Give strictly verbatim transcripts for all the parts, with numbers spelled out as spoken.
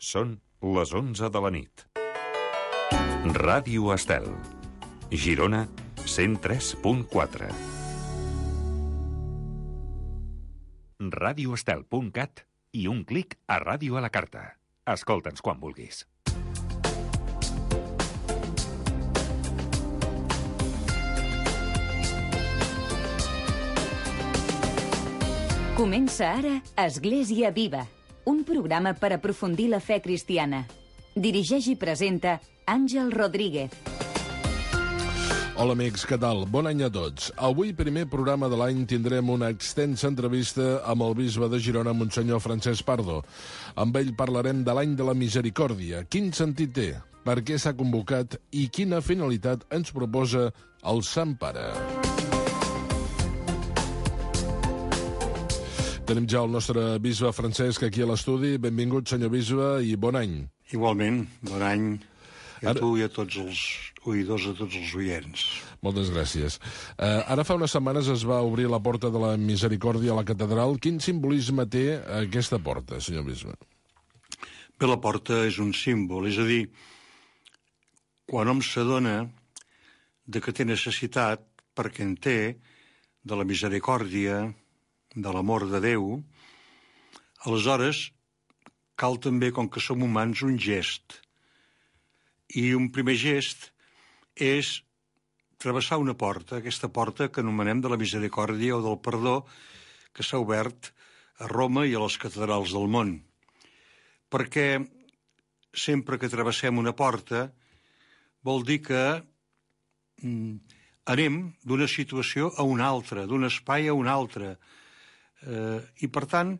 Són les onze de la nit. Ràdio Estel. Girona, cent tres punt quatre. radioestel punt cat i un clic a Ràdio a la Carta. Escolta'ns quan vulguis. Comença ara Església Viva, un programa per aprofundir la fe cristiana. Dirigeix i presenta Àngel Rodríguez. Hola amics, què tal? Bon any a tots. Avui, primer programa de l'any, tindrem una extensa entrevista amb el bisbe de Girona, Monsenyor Francesc Pardo. Amb ell parlarem de l'any de la misericòrdia. Quin sentit té? Per què s'ha convocat? I quina finalitat ens proposa el Sant Pare? Tenim ja el nostre bisbe Francesc aquí a l'estudi. Benvingut, senyor bisbe, i bon any. Igualment, bon any a ara... tu i a tots els oïdors, a tots els oients. Moltes gràcies. Uh, ara fa unes setmanes es va obrir la porta de la Misericòrdia a la catedral. Quin simbolisme té aquesta porta, senyor bisbe? Bé, la porta és un símbol, és a dir, quan hom s'adona de que té necessitat, perquè en té, de la misericòrdia, de l'amor de Déu, aleshores cal també, com que som humans, un gest. I un primer gest és travessar una porta, aquesta porta que anomenem de la misericòrdia o del perdó, que s'ha obert a Roma i a les catedrals del món. Perquè sempre que travessem una porta vol dir que mm, anem d'una situació a una altra, d'un espai a un altre. Eh, I, per tant,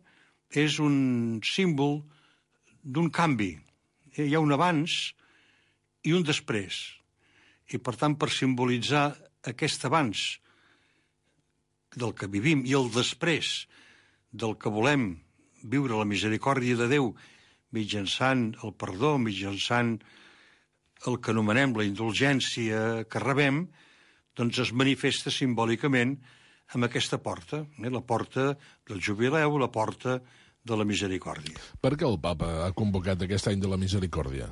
és un símbol d'un canvi. Hi ha un abans i un després. I, per tant, per simbolitzar aquest abans del que vivim i el després del que volem viure la misericòrdia de Déu mitjançant el perdó, mitjançant el que anomenem la indulgència que rebem, doncs es manifesta simbòlicament amb aquesta porta, eh? La porta del jubileu, la porta de la misericòrdia. Per què el papa ha convocat aquest any de la misericòrdia?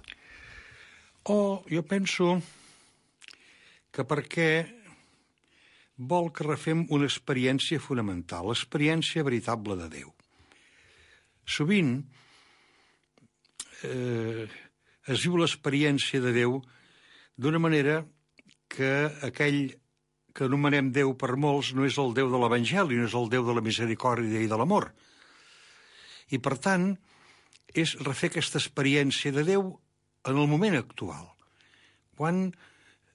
Oh, jo penso que perquè vol que refem una experiència fonamental, l'experiència veritable de Déu. Sovint eh, es viu l'experiència de Déu d'una manera que aquell que anomenem Déu per molts no és el Déu de l'Evangeli, no és el Déu de la misericòrdia i de l'amor. I, per tant, és refer aquesta experiència de Déu en el moment actual, quan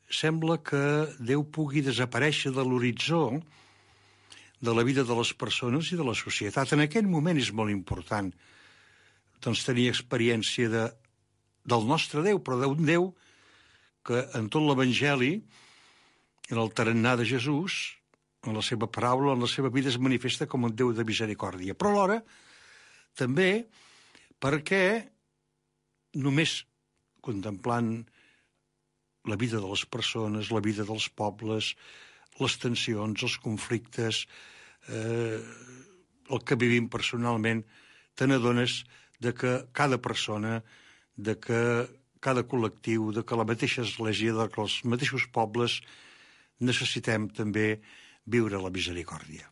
sembla que Déu pugui desaparèixer de l'horitzó de la vida de les persones i de la societat. En aquell moment és molt important doncs, tenir experiència de, del nostre Déu, però d'un Déu que en tot l'Evangeli, en el tarannà de Jesús, en la seva paraula, en la seva vida, es manifesta com un Déu de misericòrdia. Però alhora, també perquè només contemplant la vida de les persones, la vida dels pobles, les tensions, els conflictes, eh, el que vivim personalment, te n'adones de que cada persona, de que cada col·lectiu, de que la mateixa església, de que els mateixos pobles necessitem també viure la misericòrdia.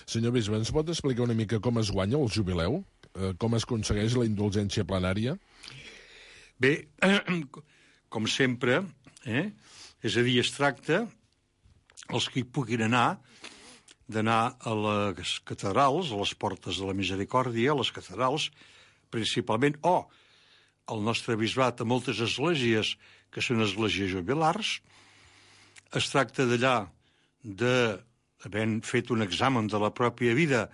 Senyor bisbe, ens pot explicar una mica com es guanya el jubileu? Eh, com es aconsegueix la indulgència plenària? Bé, com sempre, eh? és a dir, es tracta, els que hi puguin anar, d'anar a les catedrals, a les portes de la misericòrdia, a les catedrals, principalment, o al nostre bisbat, a moltes esglésies que són esglésies jubilars. Es tracta d'allà, de, havent fet un examen de la pròpia vida,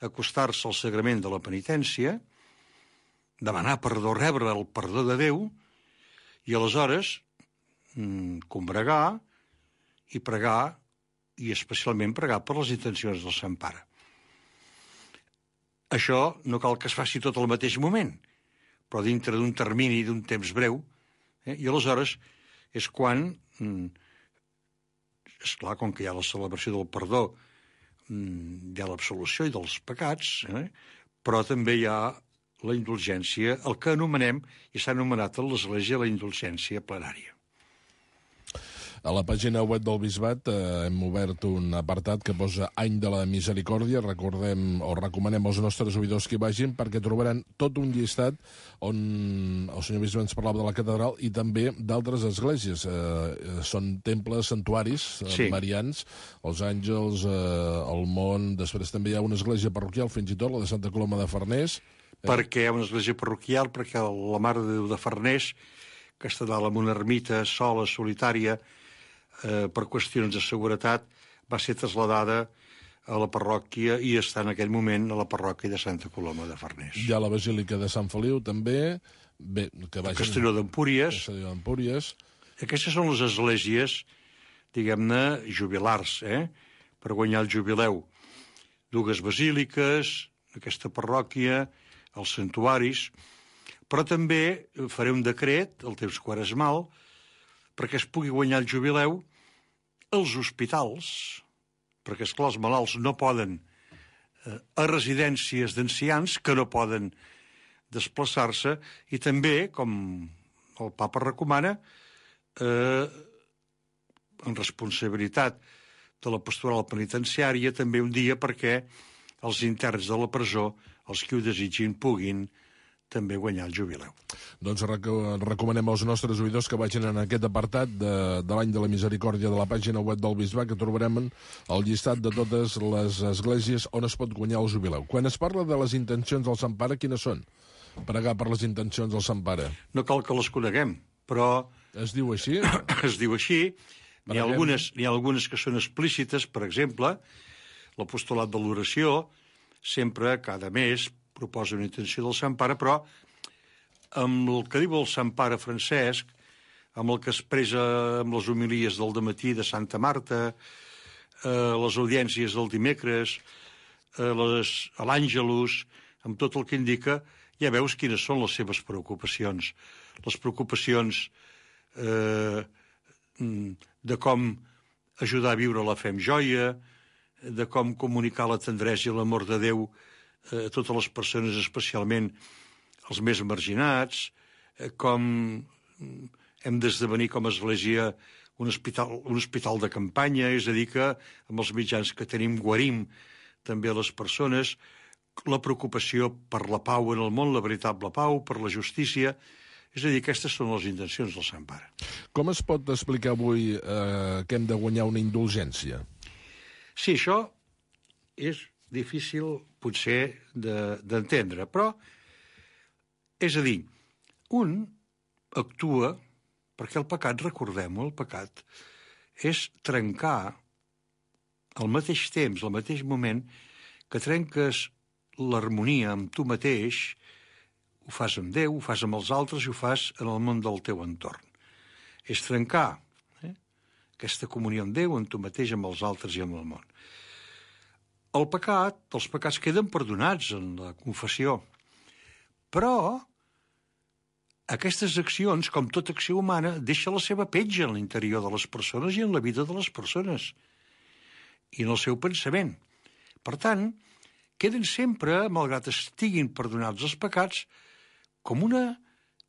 acostar-se al sagrament de la penitència, demanar perdó, rebre el perdó de Déu, i aleshores mmm, combregar i pregar, i especialment pregar per les intencions del Sant Pare. Això no cal que es faci tot al mateix moment, però dintre d'un termini d'un temps breu, eh? I aleshores és quan... Mmm, és clar, com que hi ha la celebració del perdó, hi ha l'absolució i dels pecats, eh? Però també hi ha la indulgència, el que anomenem, i s'ha anomenat a l'Església, la indulgència plenària. A la pàgina web del Bisbat eh, hem obert un apartat que posa Any de la Misericòrdia. Recordem o recomanem als nostres oïdors que hi vagin perquè trobaran tot un llistat on el senyor Bisbe ens parlava de la catedral i també d'altres esglésies. Eh, són temples, santuaris eh, Sí. marians, els Àngels, eh, el Mont, després també hi ha una església parroquial, fins i tot la de Santa Coloma de Farners. Perquè hi ha una església parroquial, perquè la Mare de Déu de Farners, que està dalt en una ermita sola, solitària, eh, per qüestions de seguretat, va ser trasladada a la parròquia i està en aquell moment a la parròquia de Santa Coloma de Farners. Hi ha la Basílica de Sant Feliu, també. Bé, que vagin... Castelló d'Empúries. Castelló d'Empúries. Aquestes són les esglésies, diguem-ne, jubilars, eh? per guanyar el jubileu. Dues basíliques, aquesta parròquia, els santuaris, però també faré un decret, el temps quaresmal, perquè es pugui guanyar el jubileu els hospitals, perquè, esclar, els malalts no poden, eh, a residències d'ancians que no poden desplaçar-se, i també, com el papa recomana, eh, en responsabilitat de la pastoral penitenciària, també un dia perquè els interns de la presó, els que ho desitgin, puguin també guanyar el jubileu. Doncs rec recomanem als nostres oïdors que vagin en aquest apartat de, de l'any de la misericòrdia de la pàgina web del Bisbat, que trobarem el llistat de totes les esglésies on es pot guanyar el jubileu. Quan es parla de les intencions del Sant Pare, quines són? Pregar per les intencions del Sant Pare. No cal que les coneguem, però... Es diu així? Es diu així. N'hi ha, algunes, n'hi ha algunes que són explícites, per exemple, l'apostolat de l'oració, sempre, cada mes, proposa una intenció del Sant Pare, però amb el que diu el Sant Pare Francesc, amb el que expressa amb les homilies del dematí de Santa Marta, eh, les audiències del dimecres, eh, les, a l'Àngelus, amb tot el que indica, ja veus quines són les seves preocupacions. Les preocupacions eh, de com ajudar a viure la fe amb joia, de com comunicar la tendresa i l'amor de Déu a totes les persones, especialment els més marginats, com hem d'esdevenir com a església un hospital, un hospital de campanya, és a dir, que amb els mitjans que tenim guarim també a les persones, la preocupació per la pau en el món, la veritable pau, per la justícia, és a dir, aquestes són les intencions del Sant Pare. Com es pot explicar avui eh, que hem de guanyar una indulgència? Sí, això és difícil, potser, d'entendre, de, però, és a dir, un actua, perquè el pecat, recordem-ho, el pecat, és trencar al mateix temps, al mateix moment, que trenques l'harmonia amb tu mateix, ho fas amb Déu, ho fas amb els altres i ho fas en el món del teu entorn. És trencar eh, aquesta comunió amb Déu, amb tu mateix, amb els altres i amb el món. El pecat, els pecats queden perdonats en la confessió, però aquestes accions, com tota acció humana, deixa la seva petja en l'interior de les persones i en la vida de les persones i en el seu pensament. Per tant, queden sempre, malgrat estiguin perdonats els pecats, com una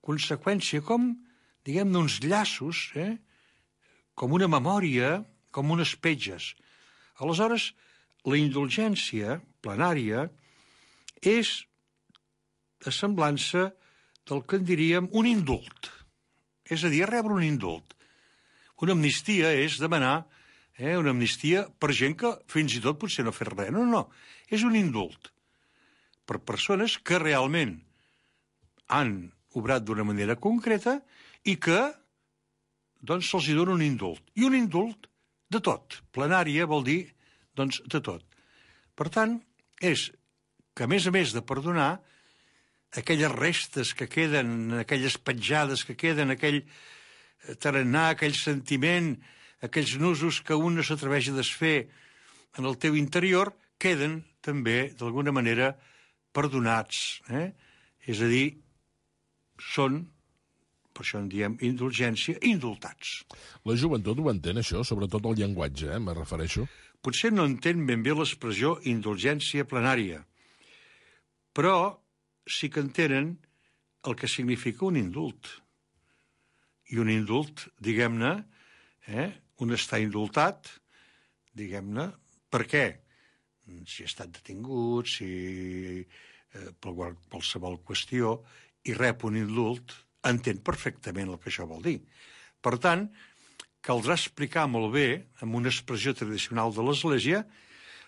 conseqüència, com, diguem-ne, uns llaços, eh? com una memòria, com unes petges. Aleshores, la indulgència plenària és a semblança del que en diríem un indult. És a dir, rebre un indult. Una amnistia és demanar eh, una amnistia per gent que fins i tot potser no ha fet res. No, no, és un indult per persones que realment han obrat d'una manera concreta i que doncs se'ls dona un indult. I un indult de tot. Plenària vol dir doncs de tot. Per tant, és que a més a més de perdonar, aquelles restes que queden, aquelles petjades que queden, aquell tarannà, aquell sentiment, aquells nusos que un no s'atreveix a desfer en el teu interior, queden també, d'alguna manera, perdonats. Eh? És a dir, són, per això en diem indulgència, indultats. La joventut ho entén, això, sobretot el llenguatge, eh, me refereixo. Potser no entén ben bé l'expressió indulgència plenària, però sí que entenen el que significa un indult. I un indult, diguem-ne, eh, un estar indultat, diguem-ne, per què? Si ha estat detingut, si eh, per qualsevol qüestió, i rep un indult, entén perfectament el que això vol dir. Per tant, caldrà explicar molt bé, amb una expressió tradicional de l'Església,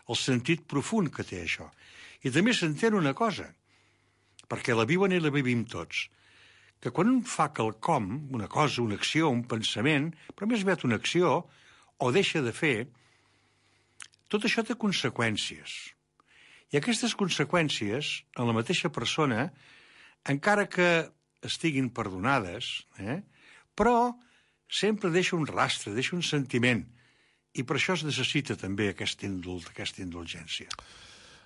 el sentit profund que té això. I també s'entén una cosa, perquè la viuen i la vivim tots, que quan un fa quelcom, una cosa, una acció, un pensament, però més aviat una acció, o deixa de fer, tot això té conseqüències. I aquestes conseqüències, en la mateixa persona, encara que estiguin perdonades, eh, però sempre deixa un rastre, deixa un sentiment, i per això es necessita també aquest indult, aquesta indulgència.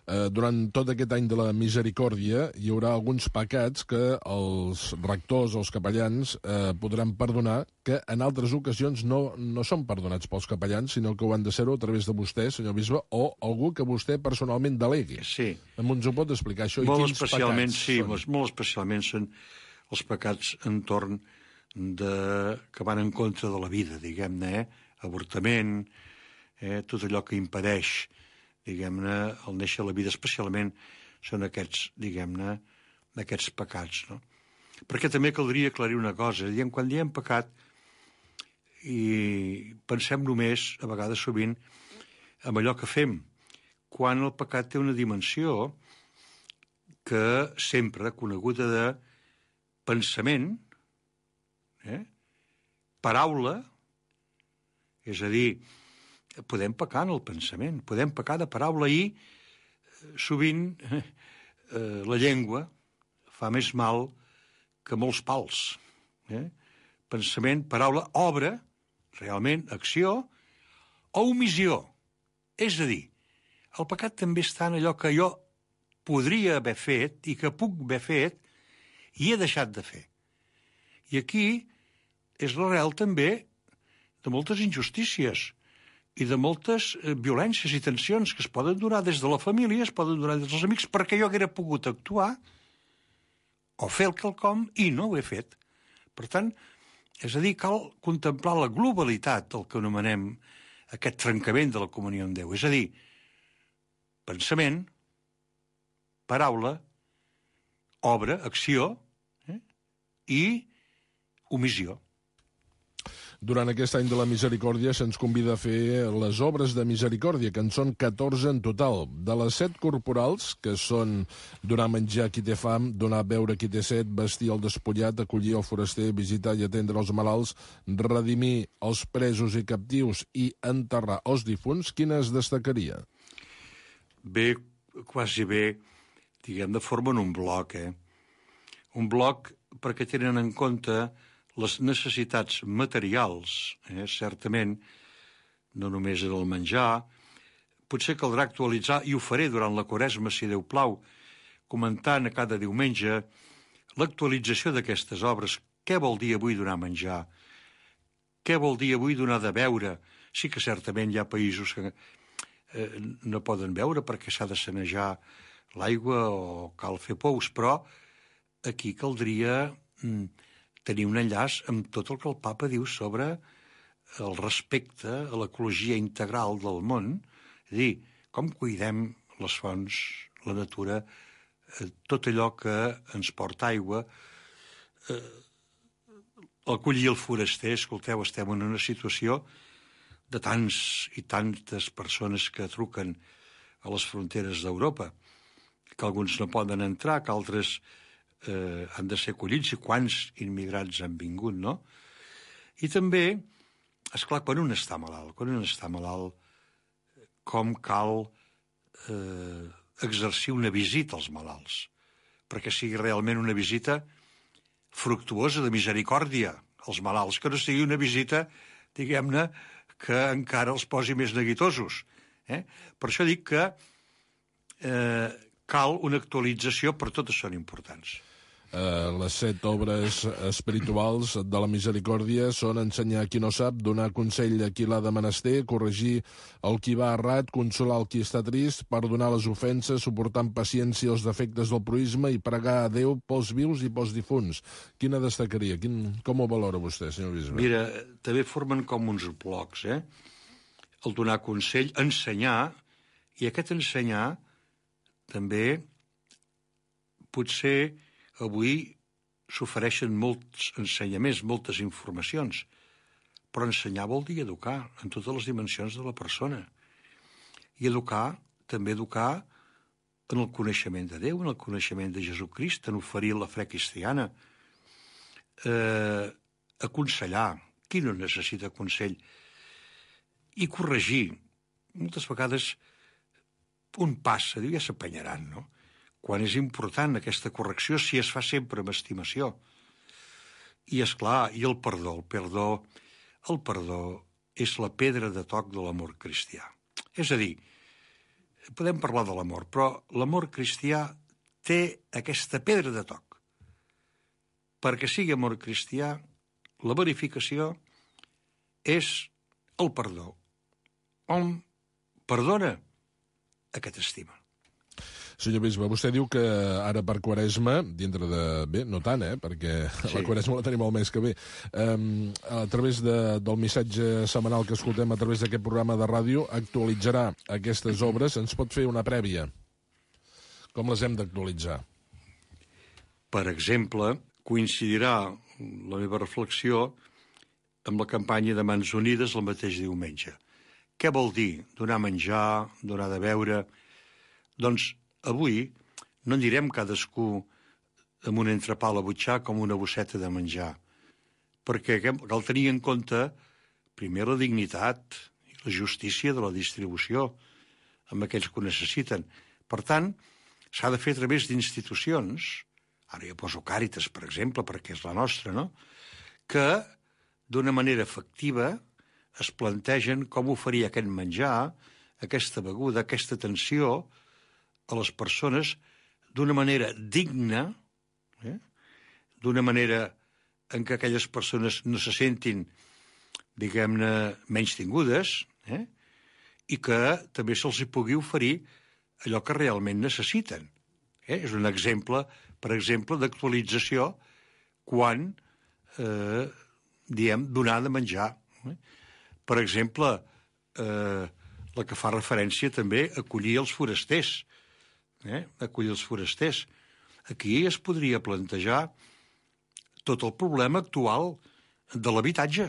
Eh, durant tot aquest any de la misericòrdia hi haurà alguns pecats que els rectors, els capellans, eh, podran perdonar, que en altres ocasions no, no són perdonats pels capellans, sinó que ho han de ser-ho a través de vostè, senyor bisbe, o algú que vostè personalment delegui. Sí. Ens ho pot explicar, això? Molt I quins especialment, pecats sí, són? molt especialment són els pecats entorn de... que van en contra de la vida, diguem-ne, eh? Avortament, eh? tot allò que impedeix, diguem-ne, el néixer a la vida, especialment són aquests, diguem-ne, aquests pecats, no? Perquè també caldria aclarir una cosa, diem, quan diem pecat, i pensem només, a vegades sovint, en allò que fem, quan el pecat té una dimensió que sempre coneguda de pensament, eh? paraula, és a dir, podem pecar en el pensament, podem pecar de paraula i sovint eh, la llengua fa més mal que molts pals. Eh? Pensament, paraula, obra, realment, acció o omissió. És a dir, el pecat també està en allò que jo podria haver fet i que puc haver fet i he deixat de fer. I aquí és l'arrel també de moltes injustícies i de moltes eh, violències i tensions que es poden donar des de la família, es poden donar des dels amics, perquè jo haguera pogut actuar o fer el quelcom i no ho he fet. Per tant, és a dir, cal contemplar la globalitat del que anomenem aquest trencament de la comunió amb Déu. És a dir, pensament, paraula, obra, acció eh? i omissió. Durant aquest any de la misericòrdia se'ns convida a fer les obres de misericòrdia, que en són catorze en total. De les set corporals, que són donar menjar a qui té fam, donar a beure a qui té set, vestir el despullat, acollir el foraster, visitar i atendre els malalts, redimir els presos i captius i enterrar els difunts, quines destacaria? Bé, quasi bé, diguem, de formen un bloc, eh? Un bloc perquè tenen en compte les necessitats materials, eh, certament, no només en el menjar, potser caldrà actualitzar, i ho faré durant la Quaresma, si Déu plau, comentant a cada diumenge l'actualització d'aquestes obres. Què vol dir avui donar menjar? Què vol dir avui donar de beure? Sí que certament hi ha països que eh, no poden beure perquè s'ha de sanejar l'aigua o cal fer pous, però aquí caldria mm, tenir un enllaç amb tot el que el papa diu sobre el respecte a l'ecologia integral del món, és a dir, com cuidem les fonts, la natura, eh, tot allò que ens porta aigua, eh, acollir el foraster. Escolteu, estem en una situació de tants i tantes persones que truquen a les fronteres d'Europa, que alguns no poden entrar, que altres Eh, han de ser acollits, i quants immigrants han vingut, no? I també, esclar, quan un està malalt, quan un està malalt, com cal eh, exercir una visita als malalts, perquè sigui realment una visita fructuosa de misericòrdia als malalts, que no sigui una visita, diguem-ne, que encara els posi més neguitosos. Eh? Per això dic que eh, cal una actualització, però totes són importants. Eh, les set obres espirituals de la misericòrdia són ensenyar a qui no sap, donar consell a qui l'ha de menester, corregir el qui va errat, consolar el qui està trist, perdonar les ofenses, suportar amb paciència els defectes del proïsme i pregar a Déu pels vius i pels difunts. Quina destacaria? Quin, com ho valora vostè, senyor bisbe? Mira, també formen com uns blocs, eh? El donar consell, ensenyar, i aquest ensenyar també potser avui s'ofereixen molts ensenyaments, moltes informacions, però ensenyar vol dir educar en totes les dimensions de la persona. I educar, també educar en el coneixement de Déu, en el coneixement de Jesucrist, en oferir la fe cristiana, eh, aconsellar, qui no necessita consell, i corregir. Moltes vegades un passa, diu, ja s'apanyaran, no? Quan és important aquesta correcció, si es fa sempre amb estimació. I, és clar, i el perdó, el perdó, el perdó és la pedra de toc de l'amor cristià. És a dir, podem parlar de l'amor, però l'amor cristià té aquesta pedra de toc. Perquè sigui amor cristià, la verificació és el perdó. Hom perdona a qui t'estima. Senyor bisbe, vostè diu que ara per Quaresma, dintre de... Bé, no tant, eh?, perquè sí. La Quaresma la tenim el mes que ve. Um, a través de, del missatge setmanal que escoltem a través d'aquest programa de ràdio, actualitzarà aquestes obres. Ens pot fer una prèvia? Com les hem d'actualitzar? Per exemple, coincidirà la meva reflexió amb la campanya de Mans Unides el mateix diumenge. Què vol dir? Donar menjar, donar de beure... Doncs avui no en direm cadascú amb un entrepà a la butxaca com una bosseta de menjar, perquè cal tenir en compte primer la dignitat i la justícia de la distribució amb aquells que ho necessiten. Per tant, s'ha de fer a través d'institucions, ara jo poso Càritas, per exemple, perquè és la nostra, no?, que d'una manera efectiva es plantegen com oferir aquest menjar, aquesta beguda, aquesta atenció a les persones d'una manera digna, eh? D'una manera en què aquelles persones no se sentin, diguem-ne, menys tingudes, eh? I que també se'ls hi pugui oferir allò que realment necessiten. Eh? És un exemple, per exemple, d'actualització quan, eh, diem, donar de menjar. Eh? Per exemple, eh, la que fa referència també a acollir els forasters, eh? acollir els forasters. Aquí es podria plantejar tot el problema actual de l'habitatge,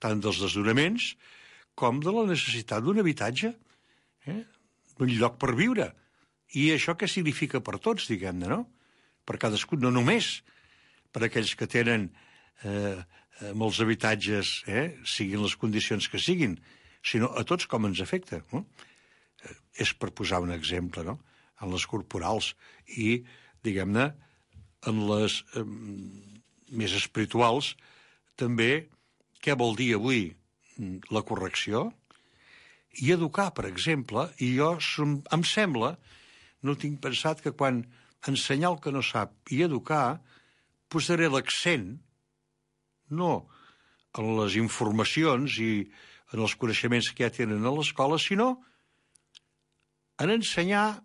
tant dels desnonaments com de la necessitat d'un habitatge, eh? d'un lloc per viure. I això què significa per tots, diguem-ne, no? Per cadascú, no només per aquells que tenen eh, molts habitatges, eh? siguin les condicions que siguin, sinó a tots com ens afecta, no? És per posar un exemple, no?, en les corporals i, diguem-ne, en les eh, més espirituals, també, què vol dir avui la correcció? I educar, per exemple, i jo em sembla, no tinc pensat que quan ensenyar el que no sap i educar, posaré l'accent no en les informacions i en els coneixements que ja tenen a l'escola, sinó en ensenyar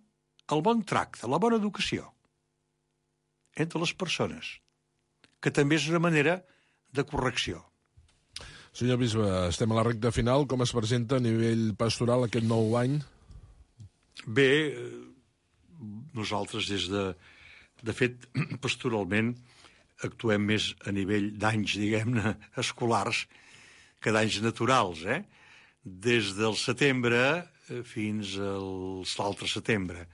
el bon tracte, la bona educació entre les persones, que també és una manera de correcció. Senyor bisbe, estem a la recta final. Com es presenta a nivell pastoral aquest nou any? Bé, nosaltres des de... De fet, pastoralment, actuem més a nivell d'anys, diguem-ne, escolars, que d'anys naturals, eh? Des del setembre fins a l'altre setembre.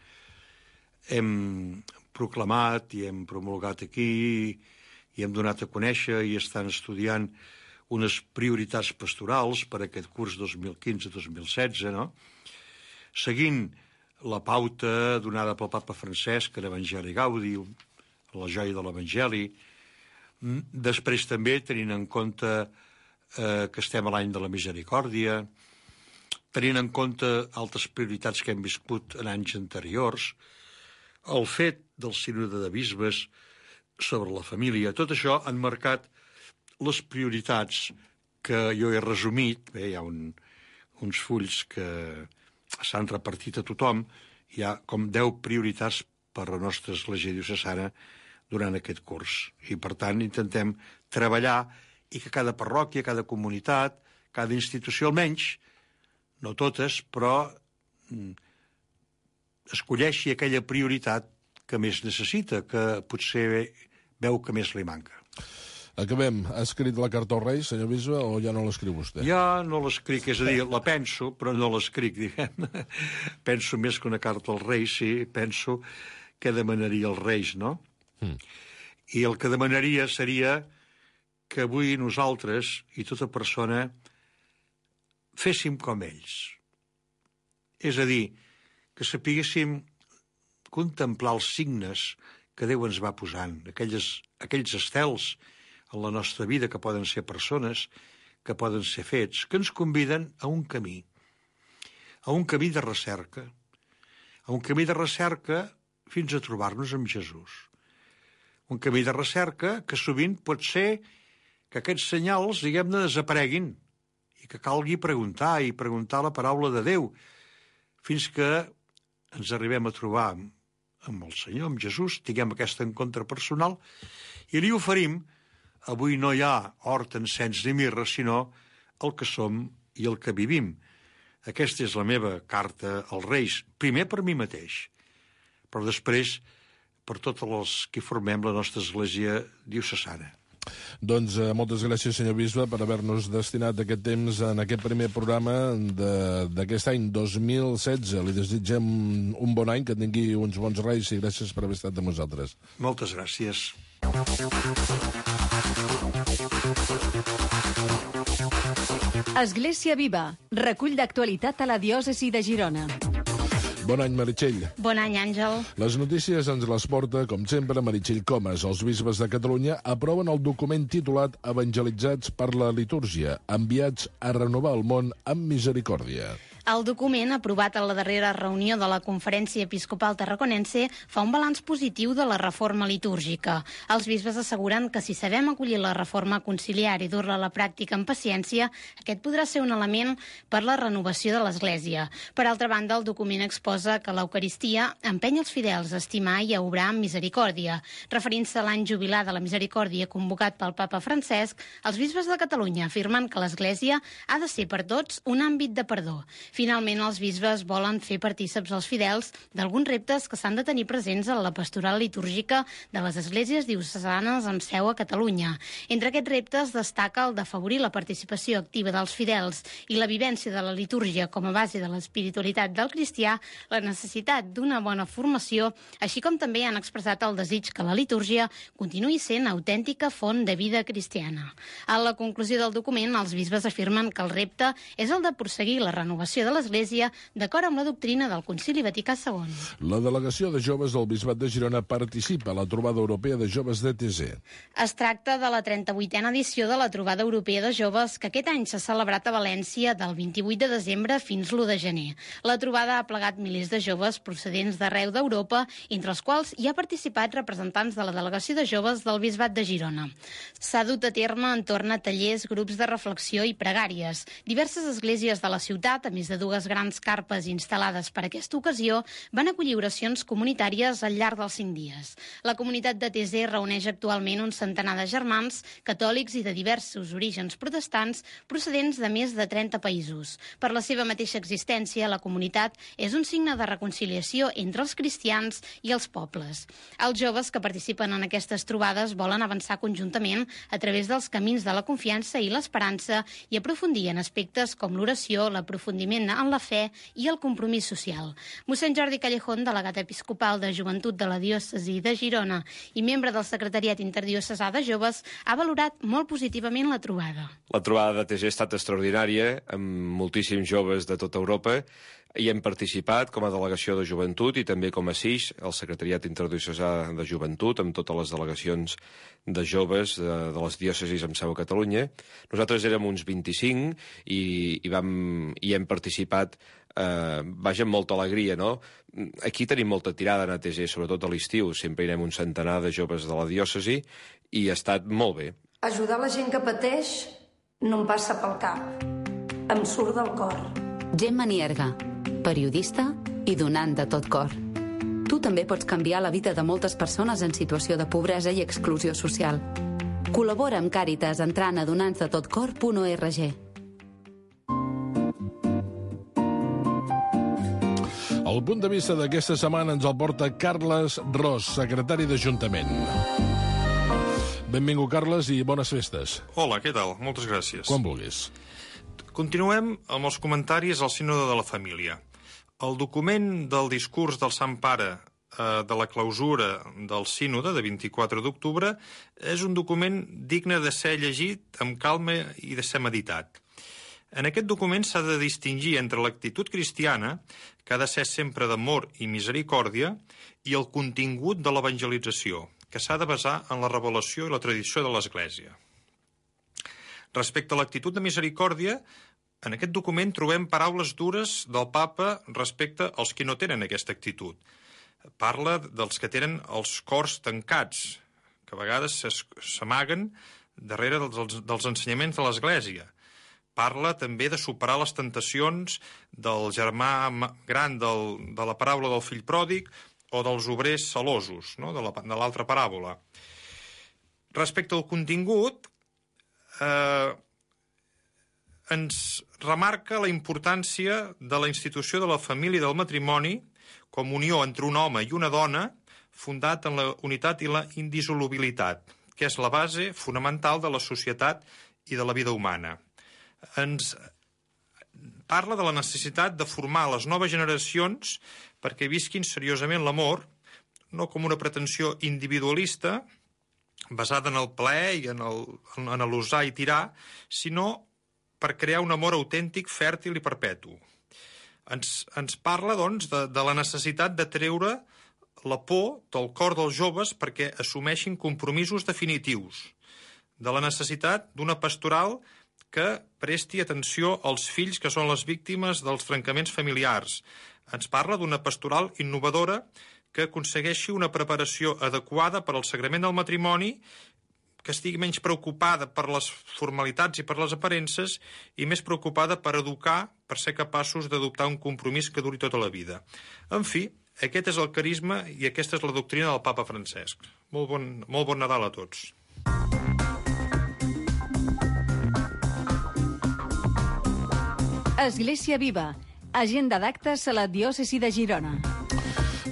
Hem proclamat i hem promulgat aquí i hem donat a conèixer i estan estudiant unes prioritats pastorals per a aquest curs dos mil quinze dos mil setze, no? Seguint la pauta donada pel papa Francesc en Evangelii Gaudi, la joia de l'Evangeli. Després també, tenint en compte eh, que estem a l'any de la misericòrdia, tenint en compte altres prioritats que hem viscut en anys anteriors, el fet del sínode de bisbes sobre la família. Tot això han marcat les prioritats que jo he resumit. Bé, hi ha un, uns fulls que s'han repartit a tothom. Hi ha com deu prioritats per a la nostra església diocesana durant aquest curs. I, per tant, intentem treballar i que cada parròquia, cada comunitat, cada institució, almenys, no totes, però escolleixi aquella prioritat que més necessita, que potser veu que més li manca. Acabem. Ha escrit la carta als Reis, senyor bisbe, o ja no l'escriu vostè? Ja no l'escric, és a dir, la penso, però no l'escric, diguem. Penso més que una carta als Reis, sí, penso que demanaria als Reis, no? Mm. I el que demanaria seria que avui nosaltres i tota persona féssim com ells. És a dir, que sapiguéssim contemplar els signes que Déu ens va posant, aquelles, aquells estels en la nostra vida que poden ser persones, que poden ser fets, que ens conviden a un camí, a un camí de recerca, a un camí de recerca fins a trobar-nos amb Jesús. Un camí de recerca que sovint pot ser que aquests senyals, diguem-ne, desapareguin i que calgui preguntar i preguntar la paraula de Déu fins que ens arribem a trobar amb el Senyor, amb Jesús, tinguem aquest encontre personal i li oferim, avui no hi ha hort, encens ni mirra, sinó el que som i el que vivim. Aquesta és la meva carta als Reis, primer per mi mateix, però després per tots els que formem la nostra església diocesana. Doncs eh, moltes gràcies, senyor bisbe, per haver-nos destinat aquest temps en aquest primer programa d'aquest any dos mil setze. Li desitgem un bon any, que tingui uns bons Reis i gràcies per haver estat amb nosaltres. Moltes gràcies. Església Viva, recull d'actualitat a la diòcesi de Girona. Bon any, Meritxell. Bon any, Àngel. Les notícies ens les porta, com sempre, Meritxell Comas. Els bisbes de Catalunya aproven el document titulat Evangelitzats per la litúrgia, enviats a renovar el món amb misericòrdia. El document, aprovat a la darrera reunió de la Conferència Episcopal Tarraconense, fa un balanç positiu de la reforma litúrgica. Els bisbes asseguren que si sabem acollir la reforma conciliar i dur-la a la pràctica amb paciència, aquest podrà ser un element per la renovació de l'Església. Per altra banda, el document exposa que l'Eucaristia empeny els fidels a estimar i a obrar amb misericòrdia. Referint-se a l'any jubilar de la misericòrdia convocat pel papa Francesc, els bisbes de Catalunya afirmen que l'Església ha de ser per tots un àmbit de perdó. Finalment, els bisbes volen fer partíceps als fidels d'alguns reptes que s'han de tenir presents en la pastoral litúrgica de les esglésies diocesanes amb seu a Catalunya. Entre aquests reptes destaca el d'afavorir la participació activa dels fidels i la vivència de la litúrgia com a base de l'espiritualitat del cristià, la necessitat d'una bona formació, així com també han expressat el desig que la litúrgia continuï sent autèntica font de vida cristiana. A la conclusió del document, els bisbes afirmen que el repte és el de prosseguir la renovació de l'Església d'acord amb la doctrina del Concili Vaticà segon. La delegació de joves del Bisbat de Girona participa a la trobada europea de joves d'E T Z. Es tracta de la trenta-vuitena edició de la trobada europea de joves que aquest any s'ha celebrat a València del vint-i-vuit de desembre fins l'u de gener. La trobada ha plegat milers de joves procedents d'arreu d'Europa, entre els quals hi ha participat representants de la delegació de joves del Bisbat de Girona. S'ha dut a terme entorn a tallers, grups de reflexió i pregàries. Diverses esglésies de la ciutat, a més de dues grans carpes instal·lades per aquesta ocasió, van acollir oracions comunitàries al llarg dels cinc dies. La comunitat de T Z reuneix actualment un centenar de germans, catòlics i de diversos orígens protestants procedents de més de trenta països. Per la seva mateixa existència, la comunitat és un signe de reconciliació entre els cristians i els pobles. Els joves que participen en aquestes trobades volen avançar conjuntament a través dels camins de la confiança i l'esperança i aprofundir en aspectes com l'oració, l'aprofundiment en la fe i el compromís social. Mossèn Jordi Callejón, delegat episcopal de Joventut de la diòcesi de Girona i membre del secretariat interdiocesà de joves, ha valorat molt positivament la trobada. La trobada de T G ha estat extraordinària, amb moltíssims joves de tota Europa. Hi hem participat com a delegació de joventut i també com a S I X, el secretariat interdiocesà de joventut, amb totes les delegacions de joves de, de les diòcesis amb seu a Catalunya. Nosaltres érem uns vint-i-cinc i, i, vam, i hem participat eh, vaja, amb molta alegria, no? Aquí tenim molta tirada en A T G, sobretot a l'estiu. Sempre hi anem un centenar de joves de la diòcesi i ha estat molt bé. Ajudar la gent que pateix no em passa pel cap. Em surt del cor. Gemma Nierga, periodista i donant de tot cor. Tu també pots canviar la vida de moltes persones en situació de pobresa i exclusió social. Col·labora amb Càritas entrant a donants de tot cor punt org. El punt de vista d'aquesta setmana ens el porta Carles Ros, secretari d'Ajuntament. Benvingut, Carles, i bones festes. Hola, què tal? Moltes gràcies. Quan vulguis. Continuem amb els comentaris al Sínode de la Família. El document del discurs del Sant Pare eh, de la clausura del Sínode de vint-i-quatre d'octubre és un document digne de ser llegit amb calma i de ser meditat. En aquest document s'ha de distingir entre l'actitud cristiana, que ha de ser sempre d'amor i misericòrdia, i el contingut de l'evangelització, que s'ha de basar en la revelació i la tradició de l'Església. Respecte a l'actitud de misericòrdia, en aquest document trobem paraules dures del papa respecte als que no tenen aquesta actitud. Parla dels que tenen els cors tancats, que a vegades s'amaguen darrere dels, dels ensenyaments de l'Església. Parla també de superar les tentacions del germà gran del, de la paràbola del fill pròdig o dels obrers celosos, no? de l'altra paràbola. Respecte al contingut, eh, ens remarca la importància de la institució de la família i del matrimoni com unió entre un home i una dona fundat en la unitat i la indissolubilitat, que és la base fonamental de la societat i de la vida humana. Ens parla de la necessitat de formar les noves generacions perquè visquin seriosament l'amor, no com una pretensió individualista basada en el plaer i en el, en l'usar i tirar, sinó per crear un amor autèntic, fèrtil i perpetu. Ens, ens parla, doncs, de, de la necessitat de treure la por del cor dels joves perquè assumeixin compromisos definitius, de la necessitat d'una pastoral que presti atenció als fills que són les víctimes dels trencaments familiars. Ens parla d'una pastoral innovadora que aconsegueixi una preparació adequada per al sagrament del matrimoni, que estigui menys preocupada per les formalitats i per les aparences i més preocupada per educar, per ser capaços d'adoptar un compromís que duri tota la vida. En fi, aquest és el carisma i aquesta és la doctrina del papa Francesc. Molt bon, molt bon Nadal a tots. Església Viva, agenda d'actes a la diòcesi de Girona.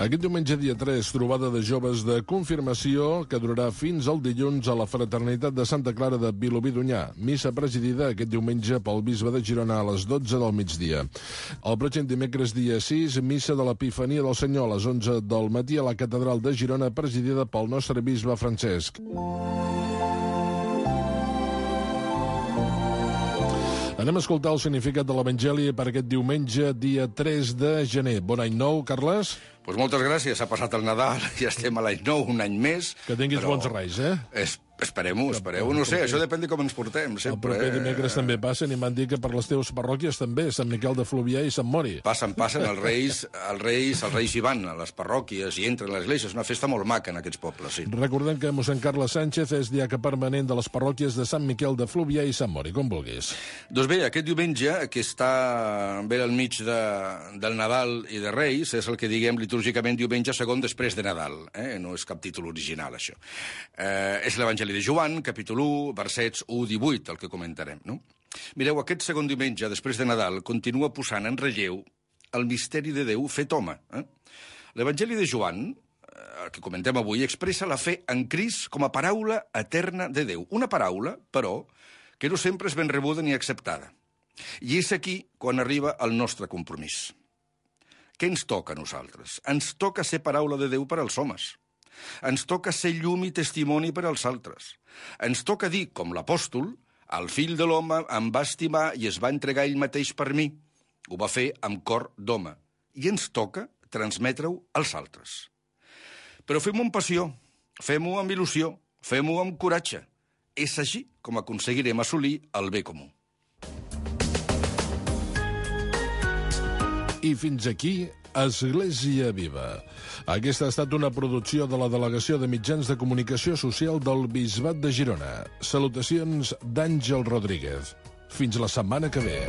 Aquest diumenge, dia tres, trobada de joves de confirmació que durarà fins al dilluns a la Fraternitat de Santa Clara de Vilobí d'Onyar. Missa presidida aquest diumenge pel bisbe de Girona a les dotze del migdia. El pròxim dimecres, dia sis, missa de l'Epifania del Senyor a les onze del matí a la Catedral de Girona, presidida pel nostre bisbe Francesc. Anem a escoltar el significat de l'Evangeli per aquest diumenge, dia tres de gener. Bon any nou, Carles. Pues moltes gràcies. Ha passat el Nadal, ja estem a l'any nou, un any més. Que tinguis bons reis, eh? És... Esperem-ho, espereu-ho. No sé, això depèn de com ens portem. El proper dimecres també passen i m'han dit que per les teves parròquies també, Sant Miquel de Fluvià i Sant Mori. Passen, passen. Els reis, els reis, els reis hi van a les parròquies i entren a l'església. És una festa molt maca en aquests pobles, sí. Recordem que mossèn Carles Sánchez és diaca permanent de les parròquies de Sant Miquel de Fluvià i Sant Mori, com vulguis. Doncs bé, aquest diumenge, que està bé al mig de, del Nadal i de Reis, és el que diguem litúrgicament diumenge segon després de Nadal. Eh? No és cap títol original, això. Eh, és l'Evangeli de Joan, capítol u, versets u a divuit, el que comentarem, no? Mireu, aquest segon diumenge, després de Nadal, continua posant en relleu el misteri de Déu fet home. Eh? L'Evangeli de Joan, el que comentem avui, expressa la fe en Crist com a paraula eterna de Déu. Una paraula, però, que no sempre és ben rebuda ni acceptada. I és aquí quan arriba el nostre compromís. Què ens toca a nosaltres? Ens toca ser paraula de Déu per als homes. Ens toca ser llum i testimoni per als altres. Ens toca dir, com l'apòstol, el fill de l'home em va estimar i es va entregar ell mateix per mi. Ho va fer amb cor d'home. I ens toca transmetre-ho als altres. Però fem-ho amb passió, fem-ho amb il·lusió, fem-ho amb coratge. És així com aconseguirem assolir el bé comú. I fins aquí, Església Viva. Aquesta ha estat una producció de la Delegació de Mitjans de Comunicació Social del Bisbat de Girona. Salutacions d'Àngel Rodríguez. Fins la setmana que ve.